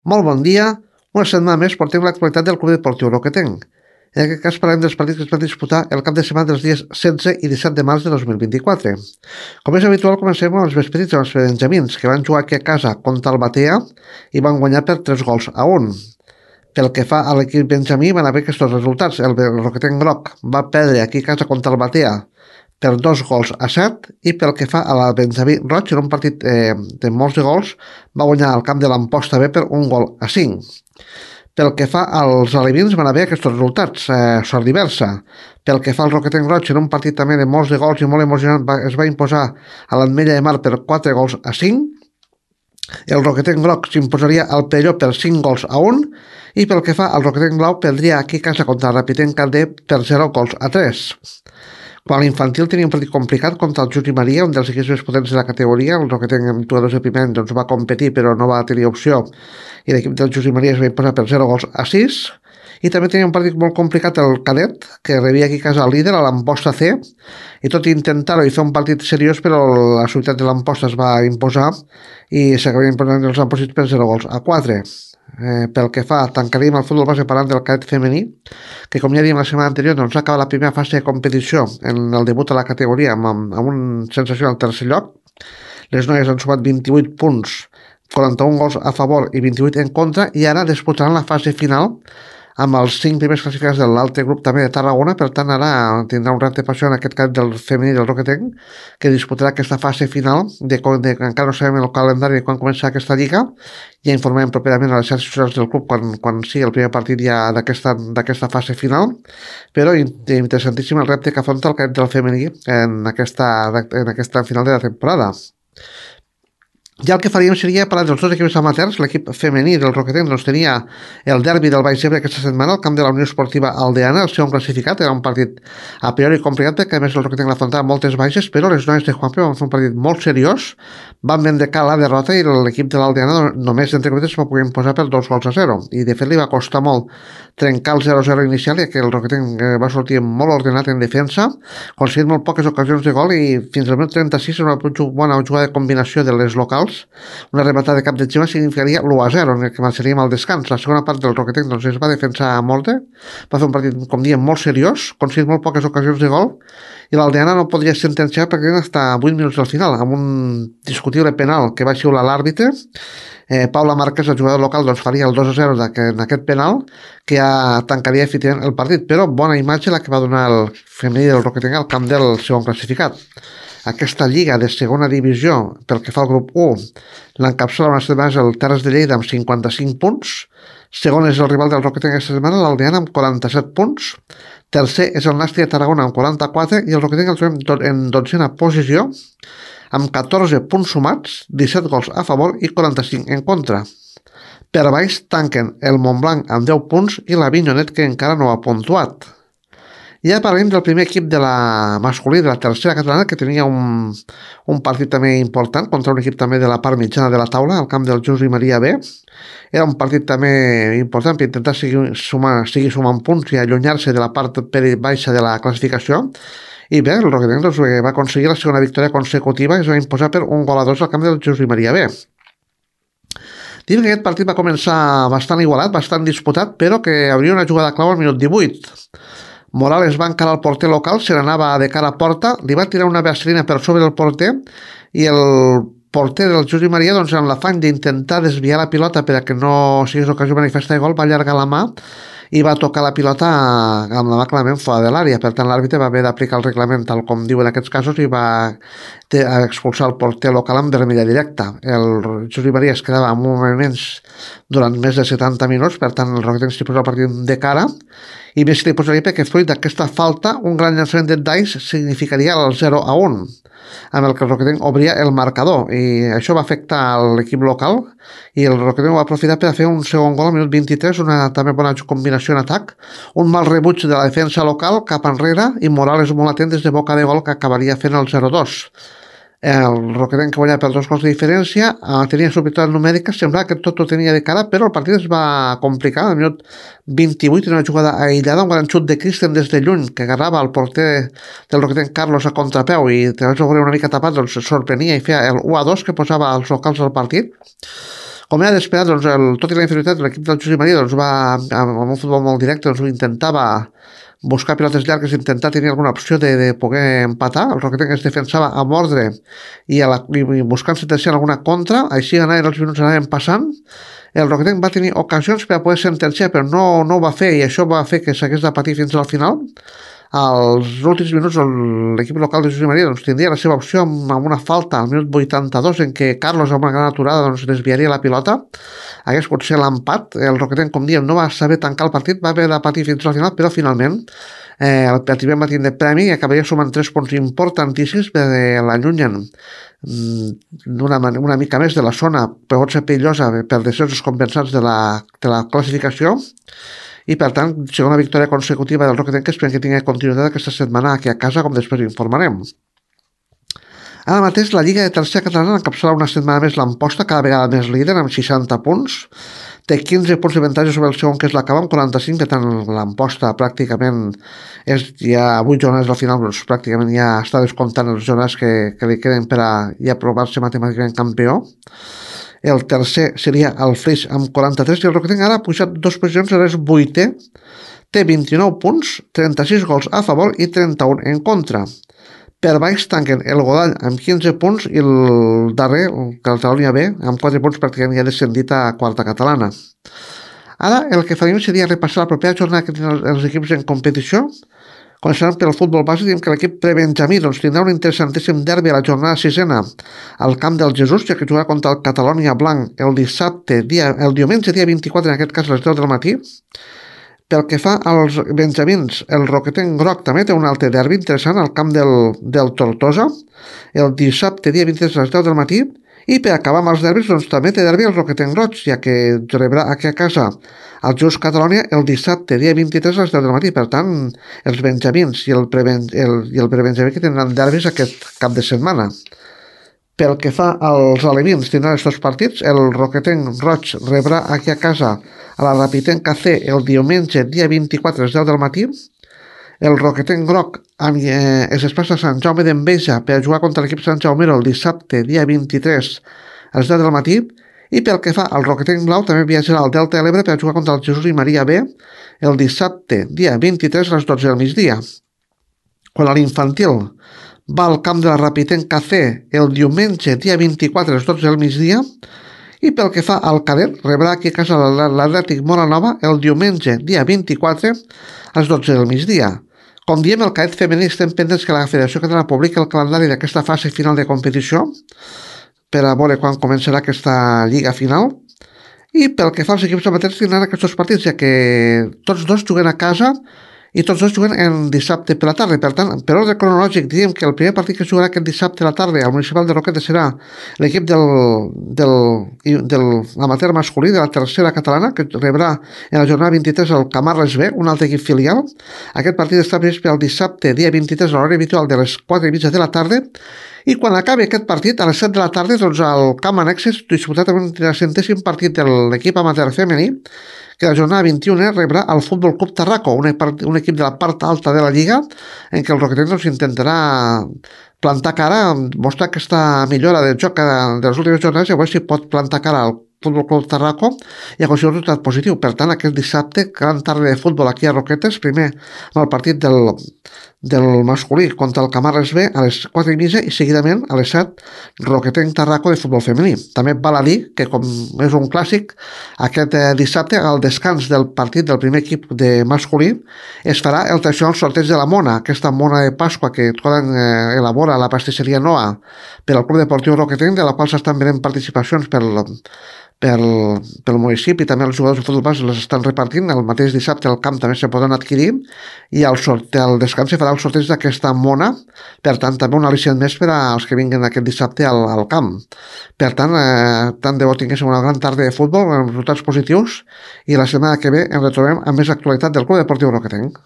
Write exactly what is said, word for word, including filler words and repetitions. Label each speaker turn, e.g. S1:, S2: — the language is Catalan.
S1: Molt bon dia. Una setmana més portem l'actualitat del Club Deportiu Roquetenc. En aquest cas parlem dels partits que es van disputar el cap de setmana dels dies setze i disset de març de dos mil vint-i-quatre. Com és habitual, comencem amb els més petits, els benjamins, que van jugar aquí a casa contra el Batea i van guanyar per tres gols a un. Pel que fa a l'equip benjamí, van haver aquests resultats. El Roquetenc Groc va perdre aquí a casa contra el Batea per dos gols a set, i pel que fa a la Benjamí Roig, en un partit eh, de molts de gols, va guanyar al camp de l'Amposta B per un gol a cinc. Pel que fa als alevins, van haver aquests resultats, eh, sort diversa. Pel que fa al Roquetenc Roig, en un partit també de molts de gols i molt emocionant, va, es va imposar a l'Ametlla de Mar per quatre gols a cinc. El Roquetenc Groc s'imposaria al Perelló per cinc gols a un, i pel que fa al Roquetenc Blau, perdria aquí a casa contra el Rapitenc Calder per zero gols a tres. Quan l'infantil tenia un partit complicat contra el Juli Maria, un dels equips més potents de la categoria. El Roquetenc amb jugadors de primer any doncs, va competir però no va tenir opció, i l'equip del Juli Maria es va imposar per zero gols a sis. I també tenia un partit molt complicat el Cadet, que rebia aquí a casa el líder, a l'Amposta C, i tot i intentar-ho i fer un partit seriós, però la ciutat de l'Amposta es va imposar i s'acabaria imposant els Amposits per zero gols a quatre. Eh, pel que fa, tancaríem el futbol base parlant del cadet femení, que com ja dèiem la setmana anterior, doncs acaba la primera fase de competició en el debut a la categoria amb, amb un sensacional tercer lloc. Les noies han sumat vint-i-vuit punts, quaranta-un gols a favor i vint-i-vuit en contra, i ara disputaran la fase final amb els cinc primers classificats de l'altre grup també de Tarragona. Per tant, ara tindrà un repte passió en aquest cas del femení del Roquetenc, que disputarà aquesta fase final, de, de, encara no sabem el calendari de quan comença aquesta lliga. Ja informarem properament a les xarxes socials del club quan, quan sigui el primer partit ja d'aquesta fase final, però interessantíssim el repte que afronta el cadet del femení en aquesta, en aquesta final de la temporada. Ja el que faríem seria parlar dels dos equips amateurs. L'equip femení del Roquetenc doncs, tenia el derbi del Baix Ebre aquesta setmana al camp de la Unió Esportiva Aldeana, el segon classificat. Era un partit a priori complicat perquè a més el Roquetenc l'afrontava moltes baixes, però les noies de Juanpe van fer un partit molt seriós, van vendecar la derrota i l'equip de l'Aldeana només entre cometes va poder imposar per dos gols a zero, i de fet li va costar molt trencar el zero a zero inicial, i que el Roquetenc va sortir molt ordenat en defensa, aconseguint molt poques ocasions de gol, i fins al minut trenta-sis una bona jugada de combinació de les locals, una rematada de cap de Xima significaria l'u a zero, en el que marxaríem al descans. La segona part del Roquetenc doncs, es va defensar a mort, va fer un partit, com diem, molt seriós, aconseguint molt poques ocasions de gol, i l'Aldeana no podria sentenciar perquè eren fins a vuit minuts del final, amb un discutible penal que va xiular l'àrbitre. Eh, Paula Márquez, el jugador local, doncs, faria el dos a zero en aquest penal, que ja tancaria efectivament el partit, però bona imatge la que va donar el femení del Roquetenc al camp del segon classificat. Aquesta lliga de segona divisió, pel que fa al grup u, l'encapçala una setmana el Terres de Lleida amb cinquanta-cinc punts, segon és el rival del Roquetenc aquesta setmana, l'Aldeana, amb quaranta-set punts, tercer és el Nàstic de Tarragona amb quaranta-quatre, i el Roquetenc el trobem en dotzena posició, amb catorze punts sumats, disset gols a favor i quaranta-cinc en contra. Per baix tanquen el Montblanc amb deu punts i l'Avinyonet, que encara no ha puntuat. Ja parlem del primer equip de la masculí de la tercera catalana, que tenia un, un partit també important contra un equip també de la part mitjana de la taula, al camp del Juli Maria B. Era un partit també important per intentar seguir, sumar, seguir sumant punts i allunyar-se de la part baixa de la classificació. I bé, el Roquetenc doncs, va aconseguir la segona victòria consecutiva i es va imposar per un gol a dos al camp del Juli Maria B. Dic que aquest partit va començar bastant igualat, bastant disputat, però que hauria una jugada clau al minut divuit. Morales va encarar el porter local, se n'anava de cara a porta, li va tirar una vaselina per sobre del porter, i el porter del Juli Maria, doncs, en l'afany d'intentar desviar la pilota per a que no sigués ocasió manifesta de gol, va allargar la mà i va tocar la pilota amb la mà clarament fora de l'àrea. Per tant, l'àrbitre va haver d'aplicar el reglament tal com diu en aquests casos i va expulsar el porter local amb vermella directa. El Juli Maria es quedava en moviments durant més de setanta minuts, per tant el Roquetenc s'hi posa el partit de cara, i més li posaria perquè fruit d'aquesta falta un gran llançament de Dice significaria el zero a un, amb el que el Roquetenc obria el marcador, i això va afectar l'equip local, i el Roquetenc va aprofitar per a fer un segon gol al minut vint-i-tres, una també bona combinació en atac, un mal rebuig de la defensa local cap enrere, i Morales molt atent des de boca de gol, que acabaria fent el zero a dos. El Roquetenc, que guanyava per dos gols de diferència, tenia superioritat numèrica, semblava que tot ho tenia de cara, però el partit es va complicar. Al minut vint-i-vuit, en una jugada aïllada, un gran xut de Christen des de lluny, que agarrava el porter del Roquetenc, Carlos, a contrapeu, i de veure una mica tapat, doncs sorprenia i feia el u a dos, que posava els locals al partit. Com era d'esperar, doncs, el, tot i la inferioritat, l'equip del Josep Maria doncs, va, amb, amb un futbol molt directe, doncs, intentava buscar pilotes llargues, intentar tenir alguna opció de, de poder empatar. El Roquetenc es defensava a mordre i, a la, i buscant sentenciar alguna contra, així anaven els minuts anaven passant. El Roquetenc va tenir ocasions per a poder sentenciar, però no, no ho va fer, i això va fer que s'hagués de patir fins al final. Als últims minuts l'equip local de Josep Maria doncs, tindria la seva opció amb, amb una falta al minut vuitanta-dos en què Carlos amb una gran aturada doncs, desviaria la pilota. Hagués pot ser l'empat. El Roquetenc, com diem, no va saber tancar el partit, va haver de patir fins al final, però finalment eh, el Pertibem va tindre premi i acabaria sumant tres punts importantíssims que l'allunyen una, una mica més de la zona, però pot ser perillosa per descensos compensats de la, de la classificació. I per tant, segona victòria consecutiva del Roquetenc, que esperem que tingui continuïtat aquesta setmana aquí a casa, com després informarem. Ara mateix la Lliga de Tercera Catalana encapçala una setmana més l'Amposta, cada vegada més líder, amb seixanta punts. Té quinze punts d'avantatge sobre el segon, que és l'Acaba, amb quaranta-cinc, per tant l'Amposta pràcticament és ja vuit jornades al final, doncs pràcticament ja està descomptant les jornades que, que li queden per a ja provar-se matemàticament campió. El tercer seria el Flix amb quaranta-tres i el Roquetenc ara ha pujat dos posicions, ara és vuitè, té vint-i-nou punts, trenta-sis gols a favor i trenta-un en contra. Per baix tanquen el Godall amb quinze punts i el darrer, el Catalunya B, amb quatre punts pràcticament ja descendit a quarta catalana. Ara el que farem seria repassar la propera jornada que tenen els equips en competició. Començant per el futbol base, diem que l'equip prebenjamí doncs, tindrà un interessantíssim derbi a la jornada sisena al camp del Jesús, ja que jugarà contra el Catalunya Blanc el dissabte, dia, el diumenge, dia vint-i-quatre, en aquest cas a les deu del matí. Pel que fa als benjamins, el Roquetenc Groc també té un altre derbi interessant al camp del, del Tortosa, el dissabte, dia vint-i-tres, a les deu del matí. I per acabar amb els derbis, doncs també té derbi el Roquetenc Roig, ja que rebrà aquí a casa el Just Catalunya el dissabte, dia vint-i-tres a les deu del matí. Per tant, els benjamins i el, preben, el, i el prebenjamí que tindran derbis aquest cap de setmana. Pel que fa als alevins, tindran els dos partits. El Roquetenc Roig rebrà aquí a casa a la Rapitenca C el diumenge, dia vint-i-quatre a les deu del matí. El Roquetenc Groc eh, es desplaça a Sant Jaume d'Enveja per jugar contra l'equip Sant Jaumero el dissabte, dia vint-i-tres a les deu del matí. I pel que fa al Roquetenc Blau, també viatjarà al Delta de l'Ebre per jugar contra el Jesús i Maria B el dissabte, dia vint-i-tres a les dotze del migdia. Quan a l'infantil va al camp de la Rapitenca C el diumenge, dia vint-i-quatre a les dotze del migdia. I pel que fa al cadet, rebrà aquí a casa l'Atlètic Moranova el diumenge, dia vint-i-quatre a les dotze del migdia. Com diem, el cadet femení estem pendents que la Federació Catalana publiqui el calendari d'aquesta fase final de competició per a veure quan començarà aquesta lliga final. I pel que fa als equips amateurs tindran aquests dos partits, ja que tots dos juguen a casa i tots dos juguen en dissabte per la tarda. Per tant, per ordre cronològic, diríem que el primer partit que jugarà aquest dissabte a la tarda al Municipal de Roquetes serà l'equip del, del, del amateur masculí de la tercera catalana, que rebrà en la jornada vint-i-tres el Camarles B, un altre equip filial. Aquest partit està previst per al dissabte, dia vint-i-tres, a l'hora habitual de les quatre i mitja de la tarda. I quan acabi aquest partit, a les set de la tarda, doncs el camp Annexes disputat amb el centèsim partit de l'equip amateur femení, que la jornada vint-i-una rebrà el Futbol Club Tarraco, un, un equip de la part alta de la Lliga, en què el Roquetenc doncs, intentarà plantar cara, mostrar aquesta millora del joc de les últimes jornades i a veure si pot plantar cara al Futbol Club Tarraco i aconseguir un resultat positiu. Per tant, aquest dissabte, gran tarda de futbol aquí a Roquetes, primer amb el partit del, del masculí contra el Camarles B a les quatre i mitja i seguidament a les set Roquetenc Tarraco de futbol femení. També val a dir que, com és un clàssic, aquest eh, dissabte, al descans del partit del primer equip de masculí, es farà el tradicional sorteig de la mona, aquesta mona de Pasqua que Codan eh, elabora a la pastisseria Noa per al Club Deportiu Roquetenc, de la qual s'estan venent participacions per pel, pel municipi, també els jugadors de futbol base les estan repartint. El mateix dissabte al camp també se poden adquirir i al, sorte, al descans se farà el sorteig d'aquesta mona, per tant també un al·licient més per als que vinguin aquest dissabte al, al camp. Per tant, eh, tant de bo tinguéssim una gran tarda de futbol amb resultats positius i la setmana que ve ens retrobem amb més actualitat del Club Deportiu Roquetenc.